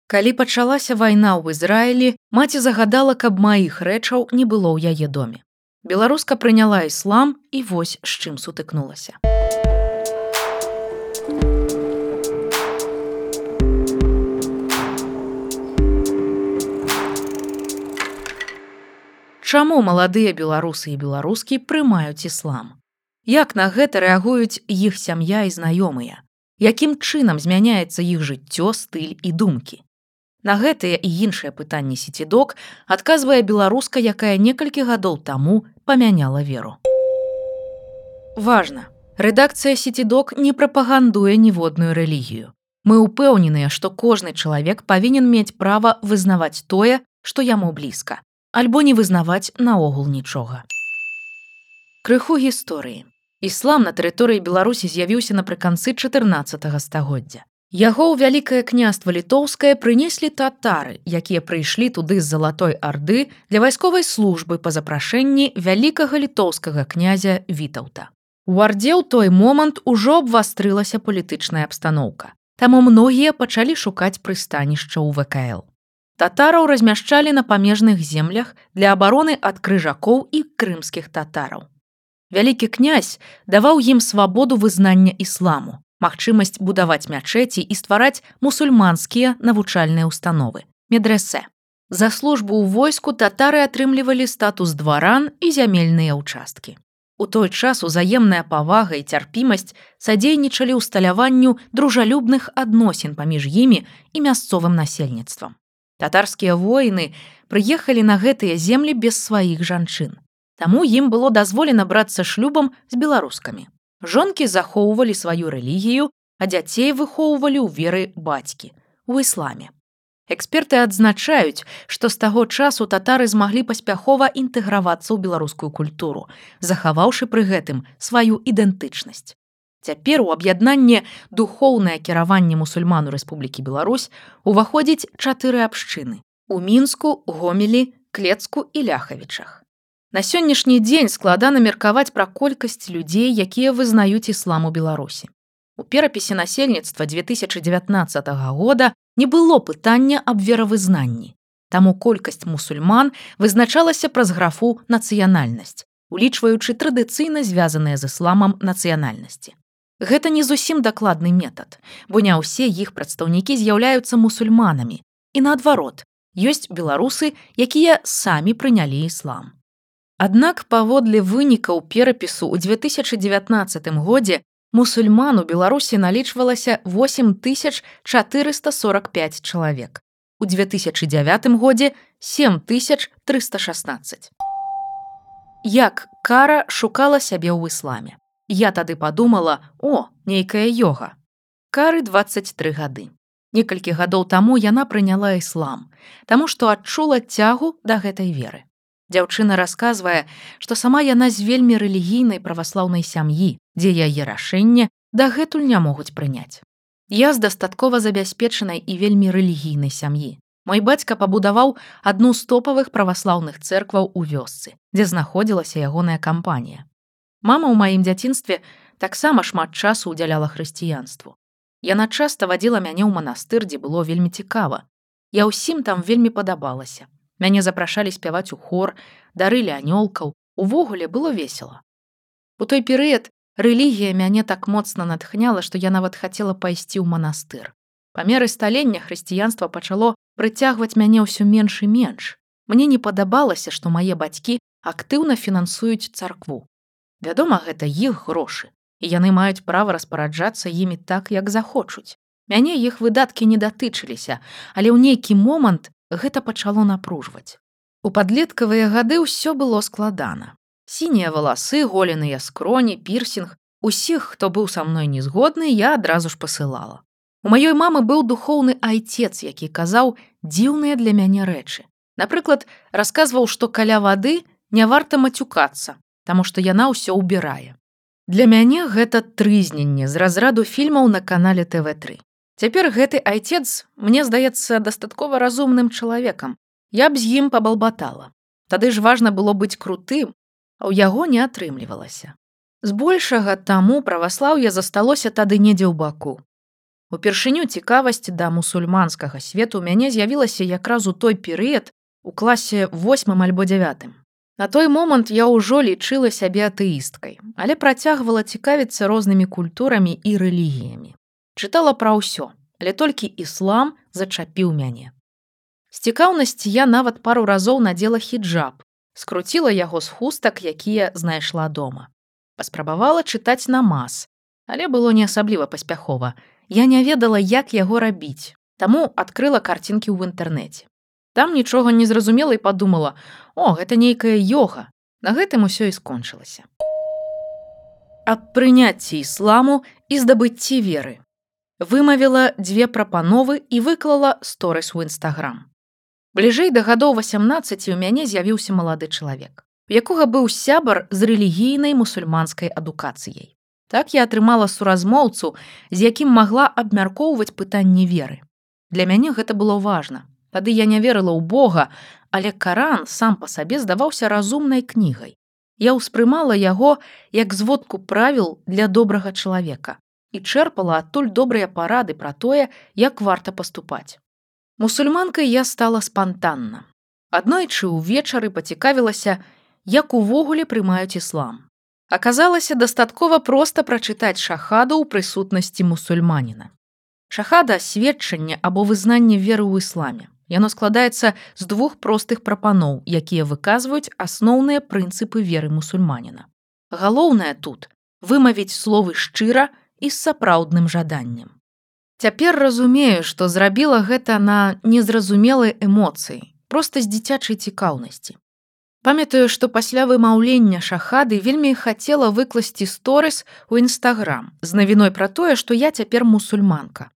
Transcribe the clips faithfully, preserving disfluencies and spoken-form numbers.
Калі пачалася вайна ў Ізраілі, маці загадала, каб маіх рэчаў не было ў яе доме. Беларуска прыняла іслам і вось з чым сутыкнулася. Чаму маладыя беларусы і беларускі прымаюць іслам? Як на гэта рэагуюць іх сям'я і знаёмыя? Якім чынам змяняецца іх жыццё, стыль і думкі? На гэтыя і іншыя пытанні сецідок адказвае беларуска, якая некалькі гадоў таму памяняла веру. Важна, рэдакцыя сецідок не прапагандуе ніводную рэлігію. Мы ўпэўненыя, што кожны чалавек павінен мець права вызнаваць тое, што яму блізка, альбо не вызнаваць наогул нічога. Крыху гісторыі. Іслам на тэрыторыі Беларусі з'явіўся напрыканцы чатырнаццатага стагоддзя. Яго ў вялікае княства літоўскае прынеслі татары, якія прыйшлі туды з Залатой Арды для вайсковай службы па запрашэнні вялікага літоўскага князя Вітаўта. У Ардзе ў той момант ужо абвастрылася палітычная абстаноўка, таму многія пачалі шукаць прыстанішча ў вэ ка эл. Татараў размяшчалі на памежных землях для абароны ад крыжакоў і крымскіх татараў. Вялікі князь даваў ім свабоду вызнання ісламу, магчымасць будаваць мячэці і ствараць мусульманскія навучальныя ўстановы, медрэсэ. За службу ў войску татары атрымлівалі статус дваран і зямельныя ўчасткі. У той час узаемная павага і цярпімасць садзейнічалі ўсталяванню дружалюбных адносін паміж імі і мясцовым насельніцтвам. Татарскія воіны прыехалі на гэтыя землі без сваіх жанчын. Таму ім было дазволена брацца шлюбам з беларускамі. Жонкі захоўвалі сваю рэлігію, а дзяцей выхоўвалі ў веры бацькі, у ісламе. Эксперты адзначаюць, што з таго часу татары змаглі паспяхова інтэгравацца ў беларускую культуру, захаваўшы пры гэтым сваю ідэнтычнасць. Цяпер у аб'яднанне духоўнае кіраванне мусульман у Рэспублікі Беларусь уваходзіць чатыры абшчыны – у Мінску, Гомелі, Клецку і Ляхавічах. На сённяшні дзень складана меркаваць пра колькасць людзей, якія вызнаюць іслам у Беларусі. У перапісе насельніцтва дзве тысячы дзевятнаццатага года не было пытання аб веравызнанні. Таму колькасць мусульман вызначалася праз графу «нацыянальнасць», улічваючы традыцыйна звязаныя з ісламам нацыянальнасці. Гэта не зусім дакладны метад, бо не ўсе іх прадстаўнікі з'яўляюцца мусульманамі. І наадварот, ёсць беларусы, якія самі прынялі іслам. Аднак паводле вынікаў перапісу ў дзве тысячы дзевятнаццатым годзе мусульман у Беларусі налічвалася восем тысяч чатырыста сорак пяць чалавек. У дзве тысячы дзявятым годзе сем тысяч трыста шаснаццаць. Як кара шукала сябе ў ісламе? Я тады падумала, о, нейкая йога. Кары дваццаць тры гады. Некалькі гадоў таму яна прыняла іслам, таму што адчула цягу да гэтай веры. Дзяўчына расказвае, што сама яна з вельмі рэлігійнай праваслаўнай сям'і, дзе яе рашэнне дагэтуль не могуць прыняць. Я з дастаткова забяспечанай і вельмі рэлігійнай сям'і. Мой бацька пабудаваў адну з топавых праваслаўных цэркваў у вёсцы, дзе знаходзілася ягоная кампанія. Мама ў маім дзяцінстве таксама шмат часу ўдзяляла хрысціянству. Яна часта вадзіла мяне ў манастыр, дзе было вельмі цікава. Я ўсім там вельмі падабалася. Мяне запрашалі спяваць у хор, дарылі анёлкаў, увогуле было весела. У той перыяд рэлігія мяне так моцна натхняла, што я нават хацела пайсці ў манастыр. Па меры сталення хрысціянства пачало прыцягваць мяне ўсё менш і менш. Мне не падабалася, што мае бацькі актыўна фінансуюць царкву. Вядома, гэта іх грошы, і яны маюць права распараджацца імі так, як захочуць. Мяне іх выдаткі не датычыліся, але ў нейкі момант гэта пачало напружваць. У падлеткавыя гады ўсё было складана. Сінія валасы, голеныя скроні, пірсінг. Усіх, хто быў са мной незгодны, я адразу ж пасылала. У маёй мамы быў духоўны айцец, які казаў дзіўныя для мяне рэчы. Напрыклад, расказваў, што каля вады не варта мацюкацца, таму што яна ўсё ўбірае. Для мяне гэта трызненне з разраду фільмаў на канале тэ вэ тры. Цяпер гэты айцец, мне здаецца, дастаткова разумным чалавекам. Я б з ім пабалбатала. Тады ж важна было быць крутым, а ў яго не атрымлівалася. Збольшага таму праваслаўе засталося тады недзе ў баку. Упершыню цікавасць да мусульманскага свету ў мяне з'явілася якраз у той перыяд у класе восьмым альбо дзявятым. На той момант я ўжо лічыла сябе атэісткай, але працягвала цікавіцца рознымі культурамі і рэлігіямі. Чытала пра ўсё, але толькі іслам зачапіў мяне. З цікаўнасці я нават пару разоў надзела хіджаб, скруціла яго з хустак, якія знайшла дома. Паспрабавала чытаць намаз, але было не асабліва паспяхова. Я не ведала, як яго рабіць, таму адкрыла карцінкі ў інтэрнэце. Там нічога не зразумела і падумала: о, гэта нейкая йога. На гэтым усё і скончылася. Аб прыняцці ісламу і здабыцці веры. Вымавіла дзве прапановы і выклала сторыс у Інстаграм. Бліжэй да гадоў васямнаццаці ў мяне з'явіўся малады чалавек, у якога быў сябар з рэлігійнай мусульманскай адукацыяй. Так я атрымала суразмоўцу, з якім магла абмяркоўваць пытанні веры. Для мяне гэта было важна. Тады я не верыла ў Бога, але Каран сам па сабе здаваўся разумнай кнігай. Я ўспрымала яго як зводку правіл для добрага чалавека і чэрпала адтуль добрыя парады пра тое, як варта паступаць. Мусульманкай я стала спантанна. Аднойчы ўвечары пацікавілася, як увогуле прымаюць іслам. Аказалася, дастаткова проста прачытаць шахаду ў прысутнасці мусульманіна. Шахада – сведчанне або вызнанне веры ў ісламе. Яно складаецца з двух простых прапаноў, якія выказваюць асноўныя прынцыпы веры мусульманіна. Галоўнае тут – вымавіць словы шчыра і з сапраўдным жаданнем. Цяпер разумею, што зрабіла гэта на незразумелай эмоцыі, проста з дзіцячай цікаўнасці. Памятаю, што пасля вымаўлення шахады вельмі хацела выкласці сторыс у Інстаграм з навіной пра тое, што я цяпер мусульманка.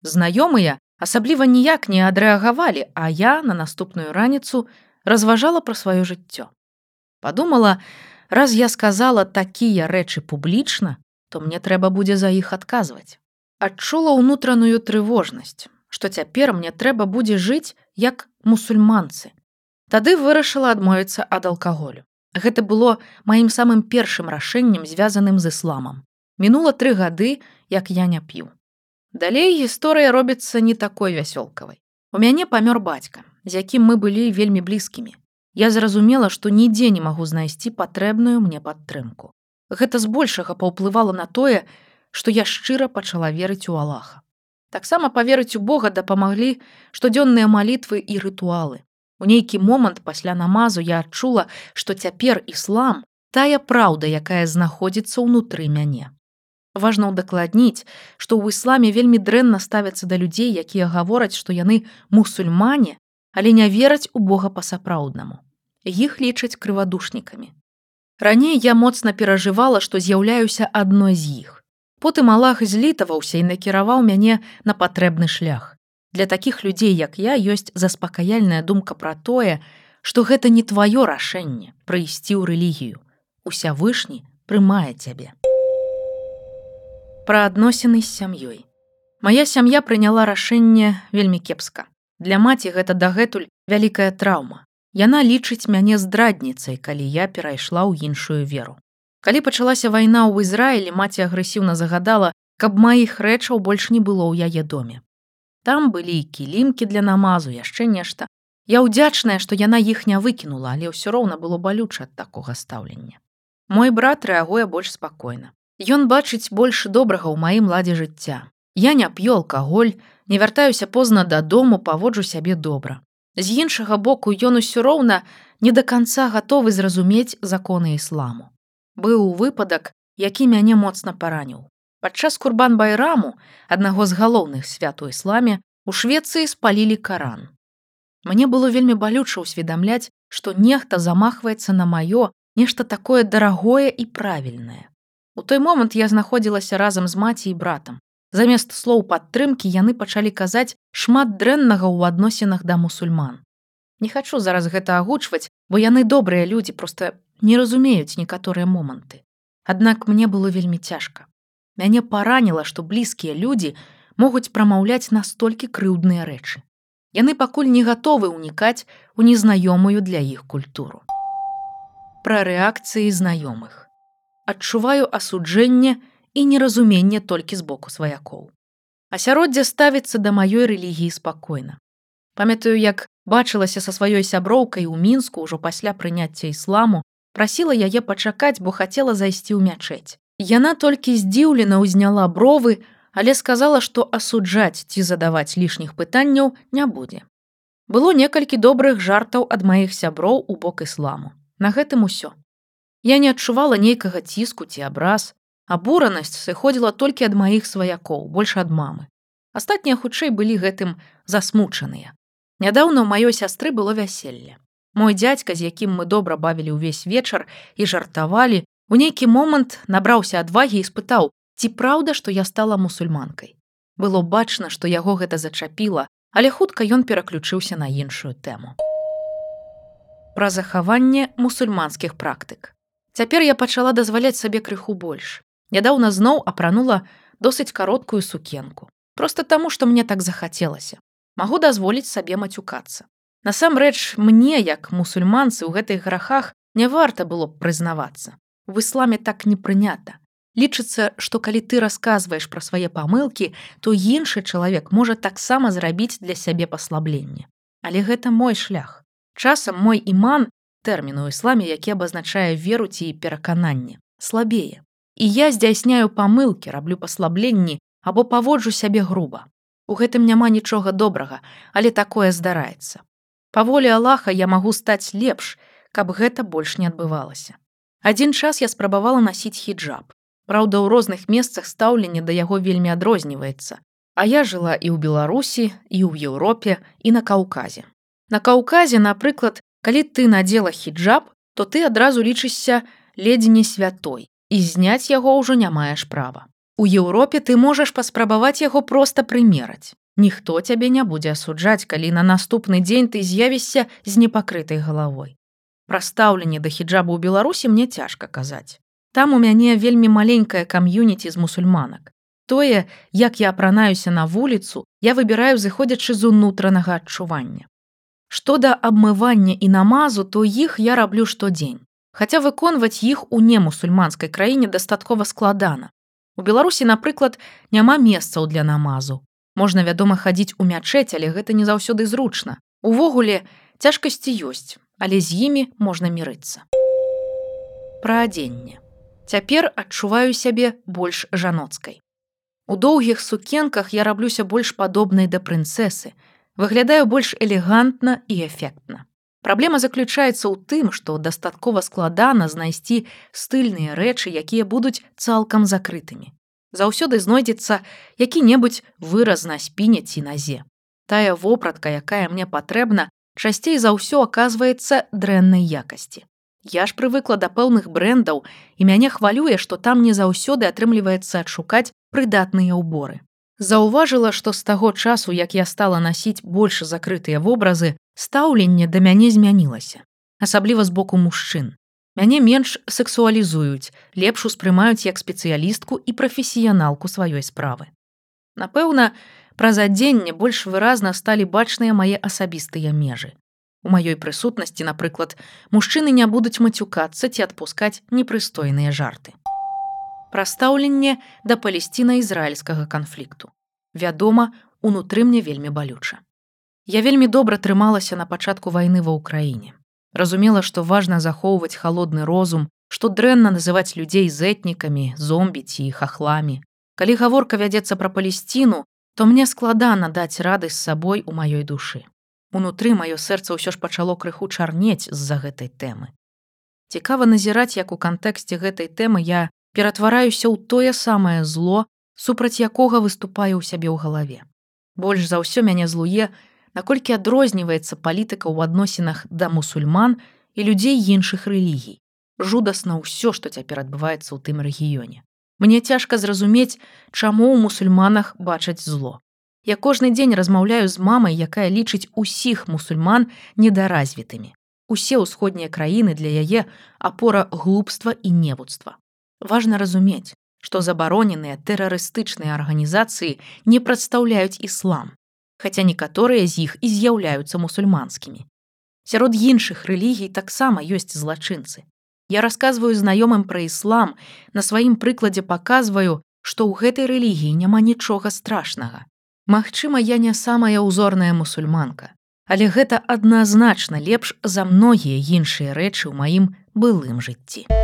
Знаёмыя асабліва ніяк не адрэагавалі, а я на наступную раніцу разважала пра сваё жыццё. Падумала, раз я сказала такія рэчы публічна, то мне трэба будзе за іх адказваць. Адчула ўнутраную трывожнасць, што цяпер мне трэба будзе жыць як мусульманцы. Тады вырашыла адмовіцца ад алкаголю. Гэта было маім самым першым рашэннем, звязаным з ісламам. Мінула тры гады, як я не п'ю. Далей гісторыя робіцца не такой вясёлкавай. У мяне памёр бацька, з якім мы былі вельмі блізкімі. Я зразумела, што нідзе не магу знайсці патрэбную мне падтрымку. Гэта збольшага паўплывала на тое, што я шчыра пачала верыць у Аллаха. Таксама паверыць у Бога дапамаглі штодзённыя малітвы і рытуалы. У нейкі момант пасля намазу я адчула, што цяпер іслам – тая праўда, якая знаходзіцца ўнутры мяне. Важна ўдакладніць, што ў ісламе вельмі дрэнна ставяцца да людзей, якія гавораць, што яны мусульмане, але не вераць у Бога па-сапраўднаму. Іх лічаць крывадушнікамі. Раней я моцна перажывала, што з'яўляюся адной з іх. Потым Аллах злітаваўся і накіраваў мяне на патрэбны шлях. Для такіх людзей, як я, ёсць заспакаяльная думка пра тое, што гэта не тваё рашэнне прыйсці ў рэлігію. Усявышні прымае цябе. Пра адносіны з сям'ёй. Мая сям'я прыняла рашэнне вельмі кепска. Для маці гэта дагэтуль вялікая траўма. Яна лічыць мяне здрадніцай, калі я перайшла ў іншую веру. Калі пачалася вайна ў Ізраілі, маці агрэсіўна загадала, каб маіх рэчаў больш не было ў яе доме. Там былі кілімкі для намазу, яшчэ нешта. Я ўдзячная, што яна іх не выкінула, але ўсё роўна было балюча ад такога стаўлення. Мой брат рэагуе больш спакойна. Ён бачыць больш добрага ў маім ладзе жыцця. Я не п'ю алкаголь, не вяртаюся позна дадому, паводжу сябе добра. З іншага боку, ён усё роўна не да канца гатовы зразумець законы ісламу. Быў выпадак, які мяне моцна параніў. Падчас Курбан-байраму, аднаго з галоўных свят у ісламе, у Швецыі спалілі Каран. Мне было вельмі балюча ўсведамляць, што нехта замахваецца на маё, нешта такое дарагое і правільнае. У той момант я знаходзілася разам з маці і братам. Замест слоў падтрымкі яны пачалі казаць шмат дрэннага ў адносінах да мусульман. Не хачу зараз гэта агучваць, бо яны добрыя людзі, проста не разумеюць некаторыя моманты. Аднак мне было вельмі цяжка. Мяне параніла, што блізкія людзі могуць прамаўляць настолькі крыўдныя рэчы. Яны пакуль не гатовы ўнікаць у незнаёмую для іх культуру. Пра рэакцыі знаёмых. Адчуваю асуджэнне і неразуменне толькі з боку сваякоў. Асяроддзе ставіцца да маёй рэлігіі спакойна. Памятаю, як бачылася са сваёй сяброўкай у Мінску ўжо пасля прыняцця ісламу, прасіла яе пачакаць, бо хацела зайсці ў мячэць. Яна толькі здзіўлена ўзняла бровы, але сказала, што асуджаць ці задаваць лішніх пытанняў не будзе. Было некалькі добрых жартаў ад маіх сяброў у бок ісламу. На гэтым усё. Я не адчувала нейкага ціску ці абраз. Абуранасць сыходзіла толькі ад маіх сваякоў, больш ад мамы. Астатнія хутчэй былі гэтым засмучаныя. Нядаўна ў маёй сястры было вяселле. Мой дзядзька, з якім мы добра бавілі ўвесь вечар і жартавалі, у нейкі момант набраўся адвагі і спытаў, ці праўда, што я стала мусульманкай. Было бачна, што яго гэта зачапіла, але хутка ён пераключыўся на іншую тэму. Пра захаванне мусульманскіх практык. Цяпер я пачала дазваляць сабе крыху больш. Нядаўна зноў апранула досыць кароткую сукенку. Проста таму, што мне так захацелася. Магу дазволіць сабе мацюкацца. Насамрэч, мне, як мусульманцы, у гэтых грахах не варта было б прызнавацца. У ісламе так не прынята. Лічыцца, што калі ты расказваеш пра свае памылкі, то іншы чалавек можа таксама зрабіць для сябе паслабленне. Але гэта мой шлях. Часам мой іман, тэрмін у ісламе, які абазначае веру ці перакананне, слабее. І я здзяйсняю памылкі, раблю паслабленні або паводжу сябе груба. У гэтым няма нічога добрага, але такое здараецца. Па волі Аллаха я магу стаць лепш, каб гэта больш не адбывалася. Адзін час я спрабавала насіць хіджаб. Праўда, у розных месцах стаўленне да яго вельмі адрозніваецца. А я жыла і ў Беларусі, і ў Еўропе, і на Каўказе. На Каўказе, напрыклад, калі ты надзела хіджаб, то ты адразу лічышся ледзь не святой, і зняць яго ўжо не маеш права. У Еўропе ты можаш паспрабаваць яго проста прымераць. Ніхто цябе не будзе асуджаць, калі на наступны дзень ты з'явішся з непакрытай галавой. Пра стаўленне да хіджабу ў Беларусі мне цяжка казаць. Там у мяне вельмі маленькая кам'юніці з мусульманак. Тое, як я апранаюся на вуліцу, я выбіраю, зыходзячы з унутранага адчування. Што да абмывання і намазу, то іх я раблю штодзень. Хаця выконваць іх у немусульманскай краіне дастаткова складана. У Беларусі, напрыклад, няма месцаў для намазу. Можна, вядома, хадзіць у мячэць, але гэта не заўсёды зручна. Увогуле, цяжкасці ёсць, але з імі можна мірыцца. Пра адзенне. Цяпер адчуваю сябе больш жаноцкай. У доўгіх сукенках я раблюся больш падобнай да прынцэсы, выглядаю больш элегантна і эфектна. Праблема заключаецца ў тым, што дастаткова складана знайсці стыльныя рэчы, якія будуць цалкам закрытымі. Заўсёды знойдзецца які-небудзь выраз на спіне ці назе. Тая вопратка, якая мне патрэбна, часцей за ўсё аказваецца дрэннай якасці. Я ж прывыкла да пэўных брэндаў, і мяне хвалюе, што там не заўсёды атрымліваецца адшукаць прыдатныя ўборы. Заўважыла, што з таго часу, як я стала насіць больш закрытыя вобразы, стаўленне да мяне змянілася, асабліва з боку мужчын. Мяне менш сексуалізуюць, лепш успрымаюць як спецыялістку і прафесіяналку сваёй справы. Напэўна, праз адзенне больш выразна сталі бачныя мае асабістыя межы. У маёй прысутнасці, напрыклад, мужчыны не будуць мацюкацца ці адпускаць непрыстойныя жарты. Пра стаўленне да палесціна-ізраільскага канфлікту. Вядома, унутры мне вельмі балюча. Я вельмі добра трымалася на пачатку вайны ва ўкраіне. Разумела, што важна захоўваць халодны розум, што дрэнна называць людзей зэтнікамі, зомбі ці хахламі. Калі гаворка вядзецца пра Палесціну, то мне складана даць рады з сабой у маёй душы. Унутры маё сэрца ўсё ж пачало крыху чарнець з-за гэтай тэмы. Цікава назіраць, як у кантэксце гэтай тэмы я ператвараюся ў тое самае зло, супраць якога выступаю ў сябе ў галаве. Больш за ўсё мяне злуе, наколькі адрозніваецца палітыка ў адносінах да мусульман і людзей іншых рэлігій. Жудасна ўсё, што цяпер адбываецца ў тым рэгіёне. Мне цяжка зразумець, чаму ў мусульманах бачаць зло. Я кожны дзень размаўляю з мамай, якая лічыць усіх мусульман недаразвітымі. Усе ўсходнія краіны для яе апора глупства і невуцтва. Важна разумець, што забароненыя тэрарыстычныя арганізацыі не прадстаўляюць іслам, хаця некаторыя з іх і з'яўляюцца мусульманскімі. Сярод іншых рэлігій таксама ёсць злачынцы. Я расказваю знаёмым пра іслам, на сваім прыкладзе паказваю, што ў гэтай рэлігіі няма нічога страшнага. Магчыма, я не самая ўзорная мусульманка, але гэта адназначна лепш за многія іншыя рэчы ў маім былым жыцці.